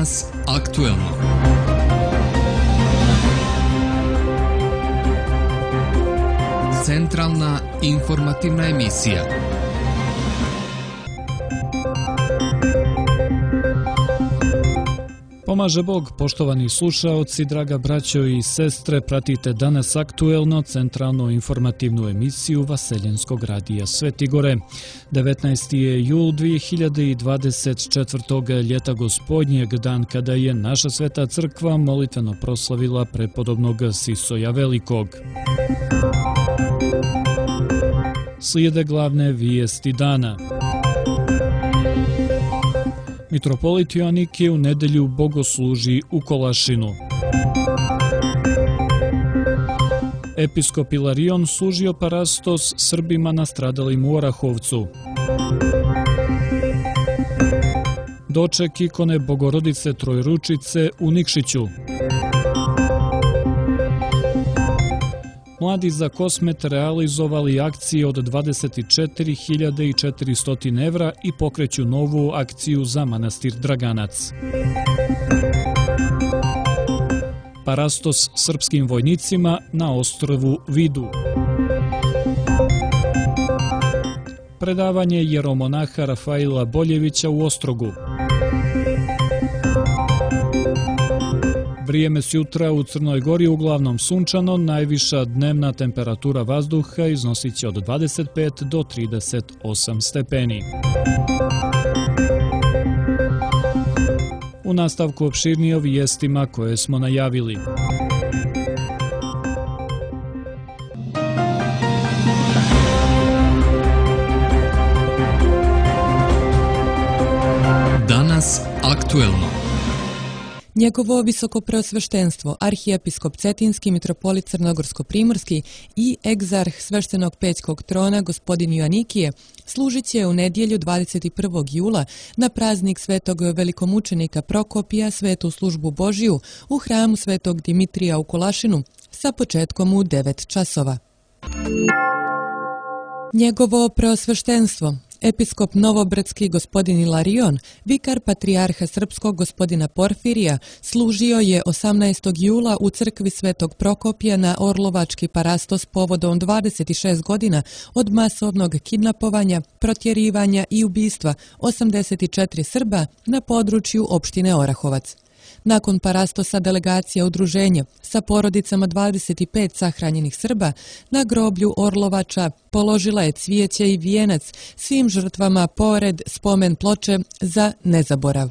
Danas aktuelno. Centralna informativna emisija. Pomaže Bog, poštovani slušaoci, draga braćo i sestre, pratite danas aktuelno centralnu informativnu emisiju Vaseljenskog radija Svetigore. 19. je jul 2024. ljeta gospodnjeg, dan kada je naša sveta crkva molitveno proslavila prepodobnog Sisoja Velikog. Slijede glavne vijesti dana. Mitropolit Joanikije u nedelju bogosluži u Kolašinu. Episkop Ilarion služio parastos Srbima nastradalim u Orahovcu. Doček ikone Bogorodice Trojručice u Nikšiću. Mladi za Kosmet realizovali akcije od 24.400 evra i pokreću novu akciju za manastir Draganac. Parastos srpskim vojnicima na ostrvu Vidu. Predavanje jeromonaha Rafaila Boljevića u Ostrogu. Vrijeme s jutra u Crnoj Gori uglavnom sunčano, najviša dnevna temperatura vazduha iznosit će od 25 do 38 stepeni. U nastavku opširnije o vijestima koje smo najavili. Danas aktuelno. Njegovo visokopreosveštenstvo, arhijepiskop Cetinski, mitropolit Crnogorsko-primorski i egzarh sveštenog pećkog trona gospodin Joanikije služit će u nedjelju 21. jula na praznik svetog velikomučenika Prokopija svetu službu Božiju u hramu svetog Dimitrija u Kolašinu sa početkom u 9 časova. Njegovo preosveštenstvo, episkop Novobradski gospodin Ilarion, vikar patrijarha srpskog gospodina Porfirija, služio je 18. jula u crkvi svetog Prokopija na Orlovački parastos povodom 26 godina od masovnog kidnapovanja, protjerivanja i ubistva 84 Srba na području opštine Orahovac. Nakon parastosa delegacija udruženja sa porodicama 25 sahranjenih Srba na groblju Orlovača položila je cvijeće i vijenac svim žrtvama pored spomen ploče za nezaborav.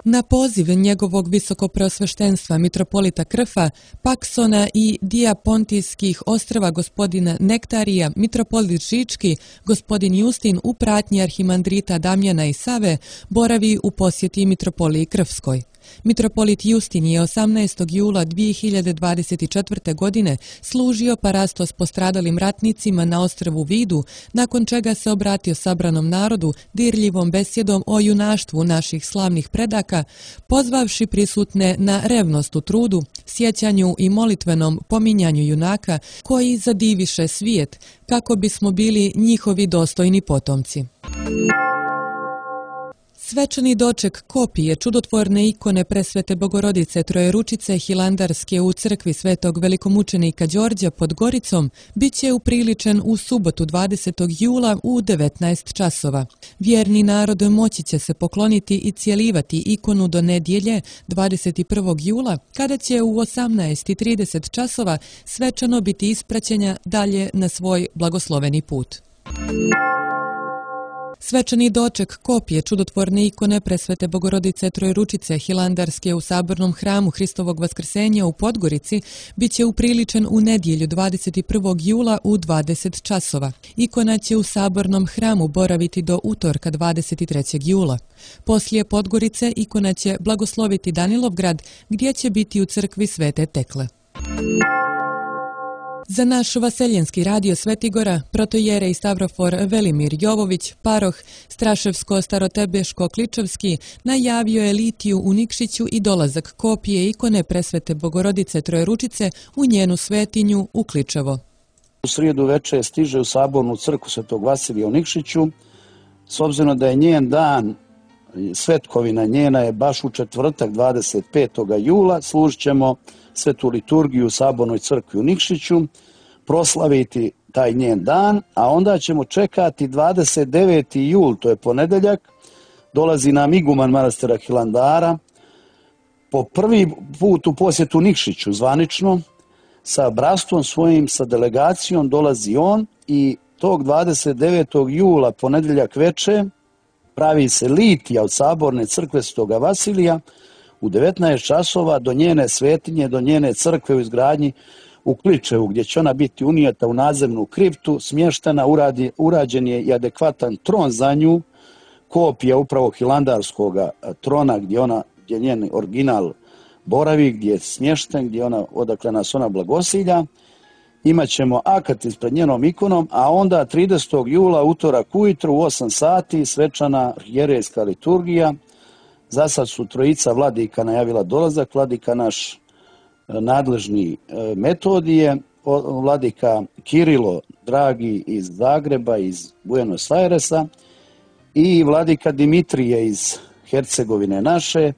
Na poziv njegovog visokopreosveštenstva mitropolita Krfa, Paksona i Dijapontijskih ostrva gospodina Nektarija, mitropolit Žički, gospodin Justin u pratnji arhimandrita Damjana i Save boravi u posjeti mitropoliji Krfskoj. Mitropolit Justin je 18. jula 2024. godine služio parastos postradalim ratnicima na ostrvu Vidu, nakon čega se obratio sabranom narodu dirljivom besjedom o junaštvu naših slavnih predaka, pozvavši prisutne na revnost u trudu, sjećanju i molitvenom pominjanju junaka koji zadiviše svijet, kako bismo bili njihovi dostojni potomci. Svečani doček kopije čudotvorne ikone presvete Bogorodice Trojeručice Hilandarske u crkvi svetog velikomučenika Đorđa pod Goricom bit će upriličen u subotu 20. jula u 19 časova. Vjerni narod moći će se pokloniti i cijelivati ikonu do nedjelje 21. jula, kada će u 18:30 časova svečano biti ispraćenja dalje na svoj blagosloveni put. Svečani doček kopije čudotvorne ikone presvete Bogorodice Trojeručice Hilandarske u sabornom hramu Hristovog vaskrsenja u Podgorici bit će upriličen u nedjelju 21. jula u 20 časova. Ikona će u sabornom hramu boraviti do utorka 23. jula. Poslije Podgorice ikona će blagosloviti Danilovgrad, gdje će biti u crkvi Svete Tekle. Za naš Vaseljenski radio Svetigora, protojerej Stavrofor Velimir Jovović, paroh Straševsko-Starotebeško-Kličevski, najavio je litiju u Nikšiću i dolazak kopije ikone presvete Bogorodice Trojeručice u njenu svetinju u Kličevo. U srijedu veče stiže u sabornu crkvu Svetog Vasilija u Nikšiću, s obzirom da je njen dan svetkovina njena je baš u četvrtak 25. jula. Služit ćemo svetu liturgiju u Sabornoj crkvi u Nikšiću, proslaviti taj njen dan, a onda ćemo čekati 29. jul, to je ponedeljak, dolazi nam iguman manastira Hilandara, po prvi put u posjetu Nikšiću zvanično, sa bratstvom svojim, sa delegacijom dolazi on i tog 29. jula, ponedeljak veče, pravi se litija od Saborne crkve Svetoga Vasilija u 19 časova do njene svetinje, do njene crkve u izgradnji u Kličevu, gdje će ona biti unijeta u nadzemnu kriptu, smještena, urađen je i adekvatan tron za nju, kopija upravo hilandarskog trona gdje njen original boravi, gdje je smješten, odakle nas ona blagosilja. Imaćemo akat ispred njenom ikonom, a onda 30. jula, utorak ujutru u 8 sati, svečana arhijerejska liturgija. Za sad su trojica vladika najavila dolazak, vladika naš nadležni Metodije, vladika Kirilo, dragi iz Zagreba, iz Buenos Airesa, i vladika Dimitrije iz Hercegovine naše,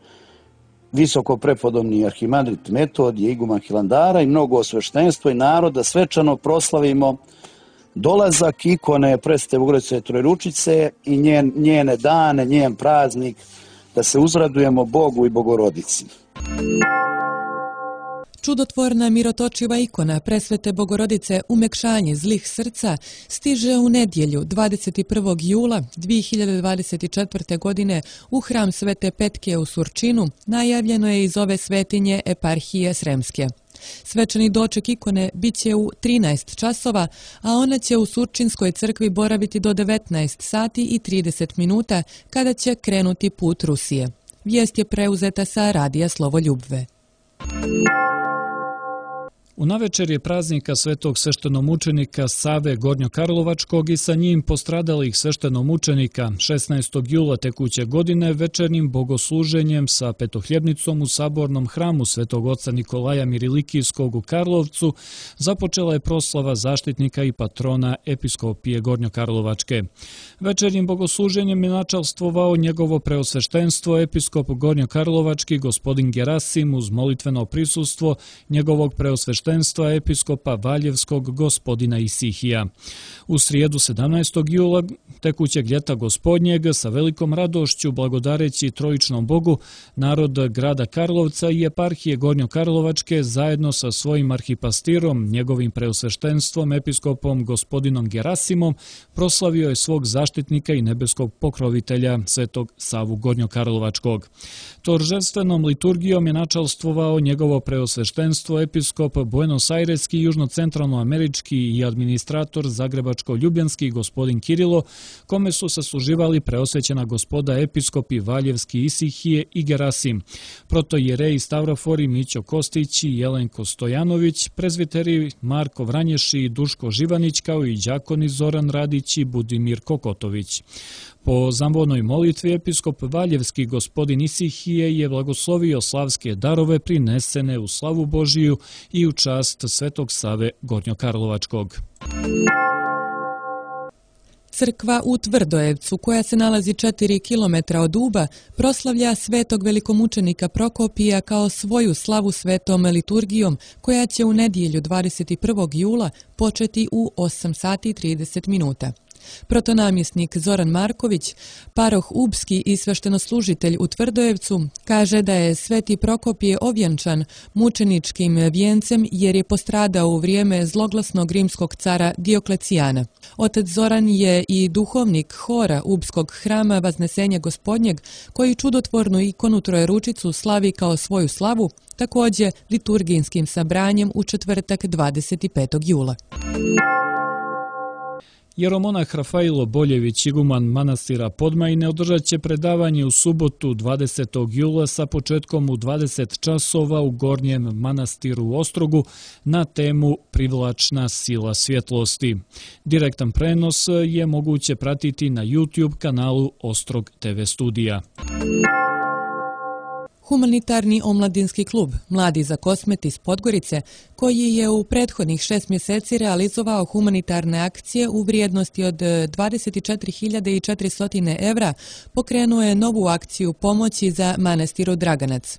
visoko prepodobni arhimandrit Metodije, iguman Hilandara i mnogo osveštenstvo i naroda svečano proslavimo dolazak ikone Presvete Bogorodice Trojeručice i njene dane, njen praznik, da se uzradujemo Bogu i Bogorodici. Čudotvorna mirotočiva ikona Presvete Bogorodice Umekšanje zlih srca stiže u nedjelju 21. jula 2024. godine u hram Svete Petke u Surčinu, najavljeno je iz ove svetinje eparhije Sremske. Svečani doček ikone bit će u 13 časova, a ona će u Surčinskoj crkvi boraviti do 19 sati i 30 minuta kada će krenuti put Rusije. Vijest je preuzeta sa radija Slovoljubve. U navečerje praznika svetog sveštenomučenika Save Gornjokarlovačkog i sa njim postradalih sveštenomučenika 16. jula tekuće godine večernjim bogosluženjem sa petohljebnicom u Sabornom hramu Svetog oca Nikolaja Mirilikijskog u Karlovcu započela je proslava zaštitnika i patrona episkopije Gornjokarlovačke. Večernjim bogosluženjem je načalstvovao njegovo preosveštenstvo episkop Gornjokarlovački gospodin Gerasim uz molitveno prisustvo njegovog preosveštenstva episkopa Valjevskog gospodina Isihija. U srijedu 17. jula tekućeg ljeta gospodnjeg sa velikom radošću blagodareći trojičnom Bogu, narod grada Karlovca i eparhije Gornjokarlovačke zajedno sa svojim arhipastirom, njegovim preosveštenstvom episkopom gospodinom Gerasimom, proslavio je svog zaštitnika i nebeskog pokrovitelja svetog Savu Gornjokarlovačkog. Toržestvenom liturgijom je načalstvovao njegovo preosveštenstvo episkop Buenos Aireski, južno-centralnoamerički i administrator zagrebačko-ljubljanski gospodin Kirilo, kome su sasluživali preosvećena gospoda episkopi Valjevski Isihije i Gerasim, protojereji Stavrofori Mićo Kostić i Jelenko Stojanović, prezviteri Marko Vranješi i Duško Živanić, kao i đakoni Zoran Radić i Budimir Kokotović. Po zambonoj molitvi episkop Valjevski gospodin Isihije je blagoslovio slavske darove prinesene u slavu Božiju i u čast svetog Save Gornjokarlovačkog. Crkva u Tvrdojevcu, koja se nalazi 4 km od Uba, proslavlja svetog velikomučenika Prokopija kao svoju slavu svetom liturgijom, koja će u nedjelju 21. jula početi u 8 sati i 30 minuta. Protonamjesnik Zoran Marković, paroh Ubski i sveštenoslužitelj u Tvrdojevcu, kaže da je sveti Prokopije ovjenčan mučeničkim vijencem jer je postradao u vrijeme zloglasnog rimskog cara Dioklecijana. Otac Zoran je i duhovnik hora Ubskog hrama Vaznesenja Gospodnjeg, koji čudotvornu ikonu Trojeručicu slavi kao svoju slavu, također liturgijskim sabranjem u četvrtak 25. jula. Jeromonah Rafailo Boljević, iguman manastira Podmajine, održat će predavanje u subotu 20. jula sa početkom u 20 časova u Gornjem manastiru u Ostrogu na temu Privlačna sila svjetlosti. Direktan prenos je moguće pratiti na YouTube kanalu Ostrog TV studija. Humanitarni omladinski klub Mladi za Kosmet iz Podgorice, koji je u prethodnih 6 mjeseci realizovao humanitarne akcije u vrijednosti od 24.400 evra, pokrenuo je novu akciju pomoći za manastiru Draganac.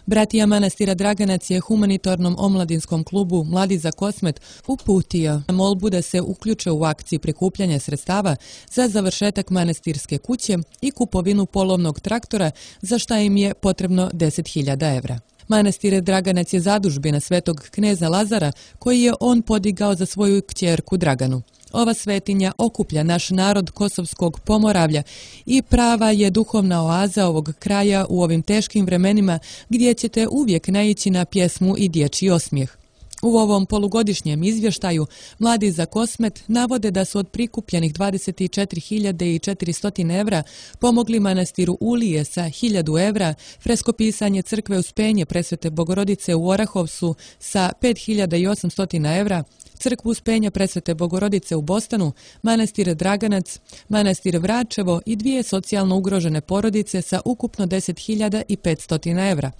Bratija manastira Draganac je humanitarnom omladinskom klubu Mladi za Kosmet uputio molbu da se uključe u akciju prikupljanja sredstava za završetak manastirske kuće i kupovinu polovnog traktora, za šta im je potrebno 10.000 evra. Manastir Draganac je zadužbina svetog kneza Lazara, koji je on podigao za svoju kćerku Draganu. Ova svetinja okuplja naš narod Kosovskog Pomoravlja i prava je duhovna oaza ovog kraja u ovim teškim vremenima, gdje ćete uvijek naići na pjesmu i dječji osmijeh. U ovom polugodišnjem izvještaju Mladi za Kosmet navode da su od prikupljenih 24.400 evra pomogli manastiru Ulije sa 1.000 evra, freskopisanje crkve Uspenje Presvete Bogorodice u Orahovcu sa 5.800 evra, crkvu Uspenja Presvete Bogorodice u Bostanu, manastir Draganac, manastir Vračevo i 2 socijalno ugrožene porodice sa ukupno 10.500 evra,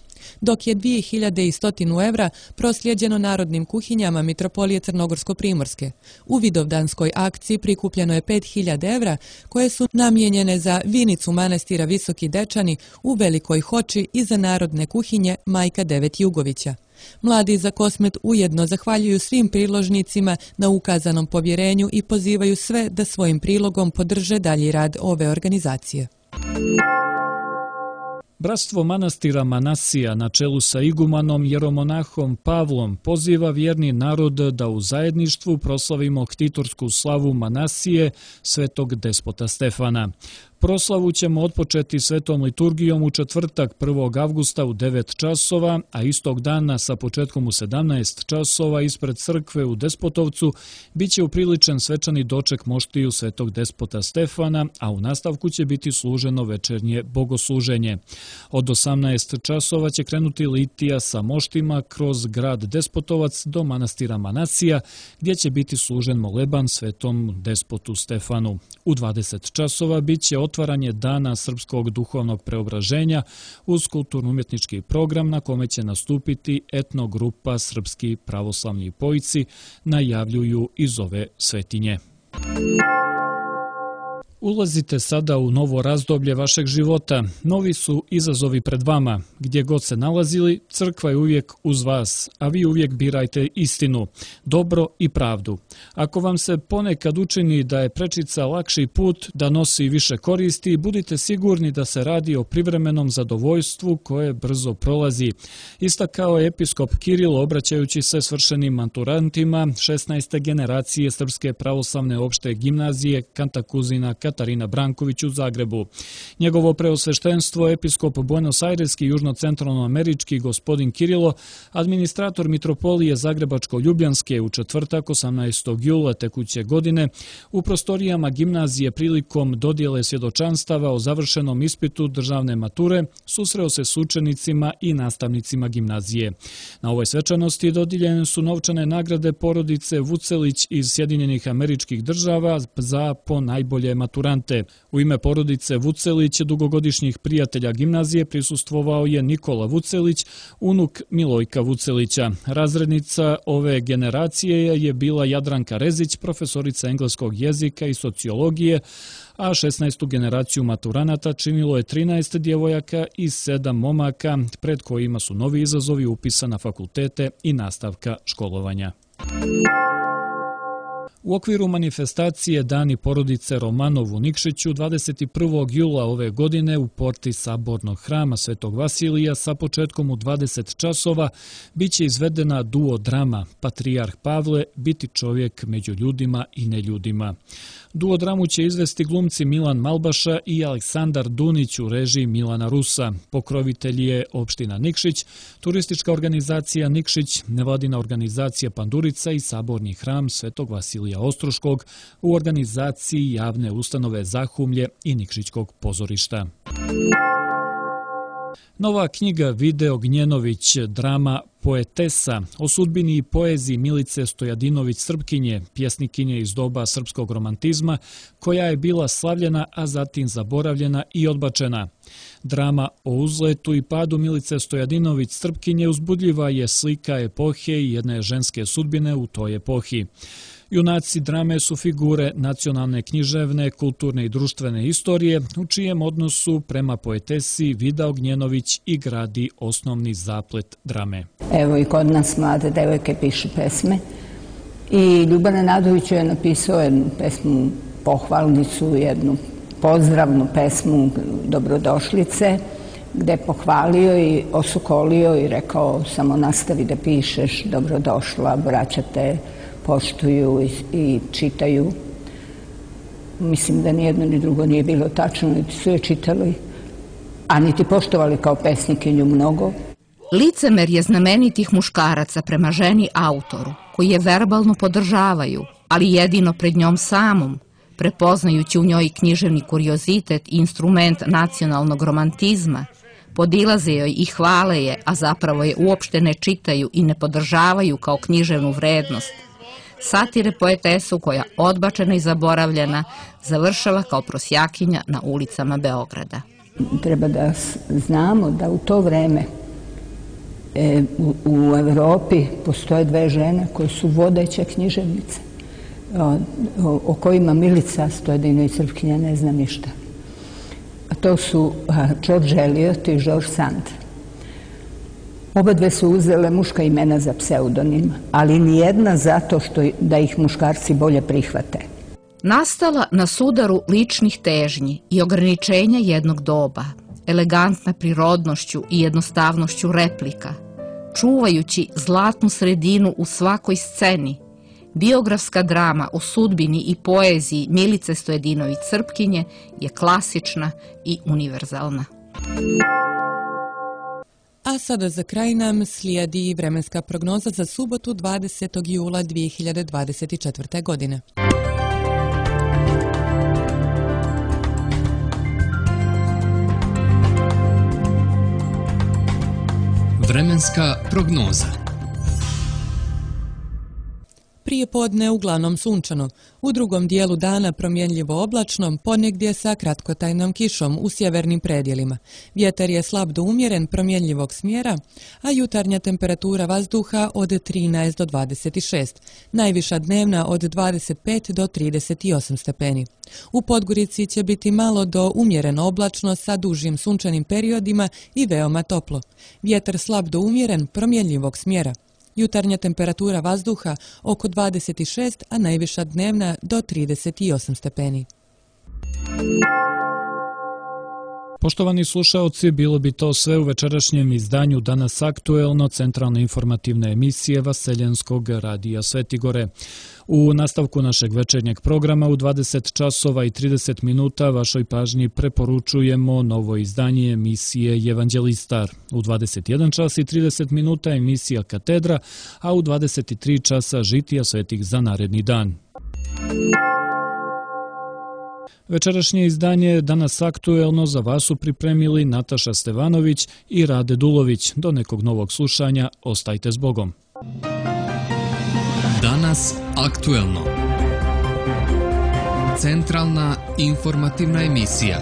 dok je 2.100 evra proslijeđeno narodnim kuhinjama Mitropolije Crnogorsko-Primorske. U Vidovdanskoj akciji prikupljeno je 5.000 evra koje su namijenjene za vinicu manastira Visoki Dečani u Velikoj Hoči i za narodne kuhinje Majka Devet Jugovića. Mladi za Kosmet ujedno zahvaljuju svim priložnicima na ukazanom povjerenju i pozivaju sve da svojim prilogom podrže dalji rad ove organizacije. Bratstvo manastira Manasija na čelu sa igumanom jeromonahom Pavlom poziva vjerni narod da u zajedništvu proslavimo ktitorsku slavu Manasije, svetog despota Stefana. Proslavu ćemo otpočeti svetom liturgijom u četvrtak 1. avgusta u 9 časova, a istog dana sa početkom u 17 časova ispred crkve u Despotovcu biće upriličen svečani doček moštiju svetog despota Stefana, a u nastavku će biti služeno večernje bogosluženje. Od 18 časova će krenuti litija sa moštima kroz grad Despotovac do manastira Manasija, gdje će biti služen moleban svetom despotu Stefanu. U 20 časova biće otvaranje dana srpskog duhovnog preobraženja uz kulturno-umjetnički program na kome će nastupiti etnogrupa Srpski pravoslavni pojci, najavljuju iz ove svetinje. Ulazite sada u novo razdoblje vašeg života. Novi su izazovi pred vama. Gdje god se nalazili, crkva je uvijek uz vas, a vi uvijek birajte istinu, dobro i pravdu. Ako vam se ponekad učini da je prečica lakši put, da nosi više koristi, budite sigurni da se radi o privremenom zadovoljstvu koje brzo prolazi. Istakao je episkop Kiril obraćajući se svršenim maturantima 16. generacije Srpske pravoslavne opšte gimnazije Kantakuzina Katarina Branković u Zagrebu. Njegovo preosveštenstvo, episkop Buenos-Aireski južno-centralnoamerički gospodin Kirilo, administrator Mitropolije Zagrebačko-Ljubljanske u četvrtak 18. jula tekuće godine u prostorijama gimnazije prilikom dodjele svjedočanstava o završenom ispitu državne mature susreo se s učenicima i nastavnicima gimnazije. Na ovoj svečanosti dodijeljene su novčane nagrade porodice Vucelić iz Sjedinjenih Američkih Država za po najbolje maturante. U ime porodice Vucelić, dugogodišnjih prijatelja gimnazije, prisustvovao je Nikola Vucelić, unuk Milojka Vucelića. Razrednica ove generacije je bila Jadranka Rezić, profesorica engleskog jezika i sociologije, a 16. generaciju maturanata činilo je 13 djevojaka i 7 momaka, pred kojima su novi izazovi upisa na fakultete i nastavka školovanja. U okviru manifestacije Dani porodice Romanov u Nikšiću 21. jula ove godine u porti Sabornog hrama Svetog Vasilija sa početkom u 20 časova biće izvedena duodrama Patrijarh Pavle, biti čovjek među ljudima i neljudima. Duodramu će izvesti glumci Milan Malbaša i Aleksandar Dunić u režiji Milana Rusa. Pokrovitelj je opština Nikšić, turistička organizacija Nikšić, nevladina organizacija Pandurica i Saborni hram Svetog Vasilija Ostroškog u organizaciji javne ustanove Zahumlje i Nikšićkog pozorišta. Nova knjiga Vide Ognjenović, drama Poetesa, o sudbini i poeziji Milice Stojadinović Srpkinje, pjesnikinje iz doba srpskog romantizma, koja je bila slavljena, a zatim zaboravljena i odbačena. Drama o uzletu i padu Milice Stojadinović Srpkinje uzbudljiva je slika epohe i jedne ženske sudbine u toj epohi. Junaci drame su figure nacionalne, književne, kulturne i društvene istorije, u čijem odnosu prema poetesi Vida Ognjenović i gradi osnovni zaplet drame. Evo i kod nas mlade devojke pišu pesme i Ljuban Nenadović je napisao jednu pesmu, pohvalnicu, jednu pozdravnu pesmu Dobrodošlice, gde je pohvalio i osukolio i rekao samo nastavi da pišeš, dobrodošla, braća te poštuju i čitaju. Mislim da nijedno ni drugo nije bilo tačno, niti su je čitali, a niti poštovali kao pesnikinju mnogo. Licemerje znamenitih muškaraca prema ženi autoru, koji je verbalno podržavaju, ali jedino pred njom samom, prepoznajući u njoj književni kuriozitet i instrument nacionalnog romantizma, podilaze joj i hvale je, a zapravo je uopšte ne čitaju i ne podržavaju kao književnu vrednost. Satire poetesu koja, odbačena i zaboravljena, završava kao prosjakinja na ulicama Beograda. Treba da znamo da u to vreme u Evropi postoje dve žene koje su vodeće književnice, o kojima Milica Stojadinović Srpkinja ne zna ništa. A to su George Eliot i George Sand. Oba dve su uzele muška imena za pseudonim, ali nijedna zato da ih muškarci bolje prihvate. Nastala na sudaru ličnih težnji i ograničenja jednog doba, elegantna prirodnošću i jednostavnošću replika, čuvajući zlatnu sredinu u svakoj sceni, biografska drama o sudbini i poeziji Milice Stojadinović Srpkinje je klasična i univerzalna. A sada za kraj nam slijedi vremenska prognoza za subotu 20. jula 2024. godine. Vremenska prognoza. Prije podne uglavnom sunčano, u drugom dijelu dana promjenljivo oblačno, ponegdje sa kratkotrajnom kišom u sjevernim predjelima. Vjetar je slab do umjeren promjenljivog smjera, a jutarnja temperatura vazduha od 13 do 26, najviša dnevna od 25 do 38 stepeni. U Podgorici će biti malo do umjereno oblačno sa dužim sunčanim periodima i veoma toplo. Vjetar slab do umjeren promjenljivog smjera. Jutarnja temperatura vazduha oko 26, a najviša dnevna do 38 stepeni. Poštovani slušaoci, bilo bi to sve u večerašnjem izdanju Danas aktuelno, centralne informativne emisije Vaseljenskog radija Svetigore. U nastavku našeg večernjeg programa u 20 časova i 30 minuta vašoj pažnji preporučujemo novo izdanje emisije Evanđelistar. U 21 čas i 30 minuta emisija Katedra, a u 23 časa Žitija svetih za naredni dan. Večerašnje izdanje Danas aktuelno za vas su pripremili Nataša Stevanović i Rade Dulović. Do nekog novog slušanja, ostajte s Bogom. Danas aktuelno. Centralna informativna emisija.